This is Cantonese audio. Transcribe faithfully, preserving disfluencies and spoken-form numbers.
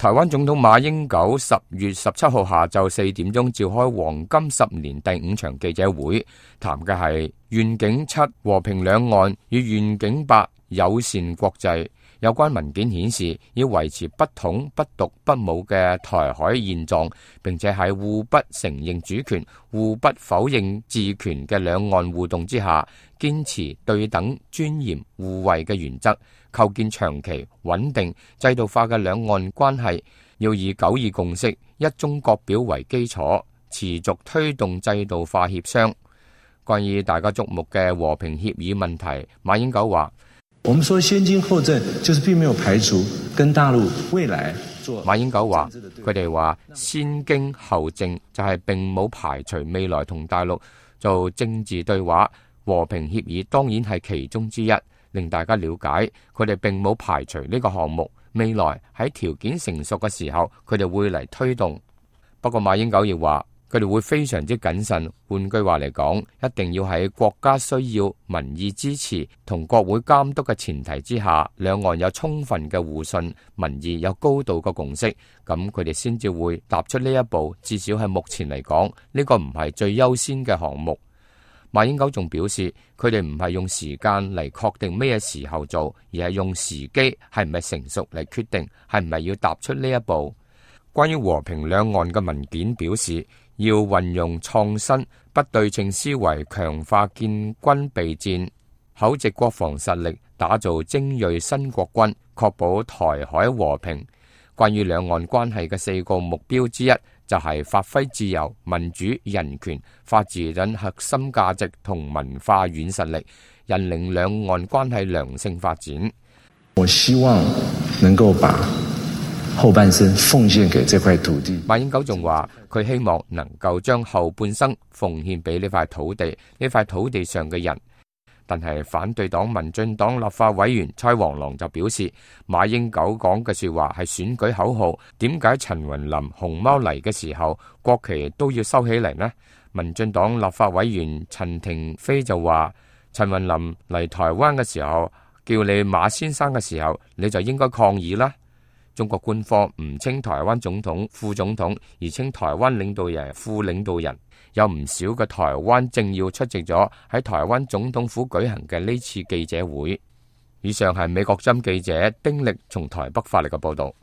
台灣總統馬英九十月十七號下晝四點鐘召開黃金十年第五場記者會，談嘅係願景七和平兩岸與願景八友善國際。有關文件顯示，要維持不統、不獨、不武嘅台海現狀，並且喺互不承認主權、互不否認治權嘅兩岸互動之下，堅持對等、尊嚴、互惠嘅原則，構建長期穩定制度化嘅兩岸關係。要以九二共識、一中各表為基礎，持續推動制度化協商。關於大家矚目嘅和平協議問題，馬英九話：我們說先經後政，就是並沒有排除跟大陸未來做。馬英九話：佢哋話先經後政，就係並冇排除未來同大陸做政治對話，和平協議當然係其中之一，令大家了解佢哋並冇排除呢個項目，未來喺條件成熟嘅時候，佢哋會嚟推動。不過馬英九亦話，佢哋會非常之謹慎，換句話嚟講，一定要喺國家需要、民意支持同國會監督嘅前提之下，兩岸有充分嘅互信，民意有高度嘅共識，咁佢哋先至會踏出呢一步。至少係目前嚟講，呢個唔係最優先嘅項目。馬英九仲表示，佢哋唔係用時間嚟確定咩時候做，而係用時機係唔係成熟嚟決定係唔係要踏出呢一步。關於和平兩岸嘅文件表示，要運用創新不對稱思維，強化建軍備戰、厚植國防實力，打造精銳新國軍，確保台海和平。關於兩岸關係嘅四個目標之一，就係發揮自由、民主、人權、法治等核心價值同文化軟實力，引領兩岸關係良性發展。我希望能夠把後半生奉獻給這塊土地。馬英九仲話，佢希望能夠將後半生奉獻俾呢塊土地，呢塊土地上嘅人。但係反對黨民進黨立法委員蔡黃郎就表示，馬英九講嘅說話係選舉口號，點解陳雲林熊貓嚟嘅時候國旗都要收起嚟呢？民進黨立法委員陳亭妃就話，陳雲林嚟台灣嘅時候叫你馬先生嘅時候，你就應該抗議啦。中國官方唔稱台灣總統、副總統，而稱台灣領導人、副領導人。有唔少嘅台灣政要出席咗喺台灣總統府舉行嘅呢次記者會。以上係美國針記者丁力從台北發嚟嘅報道。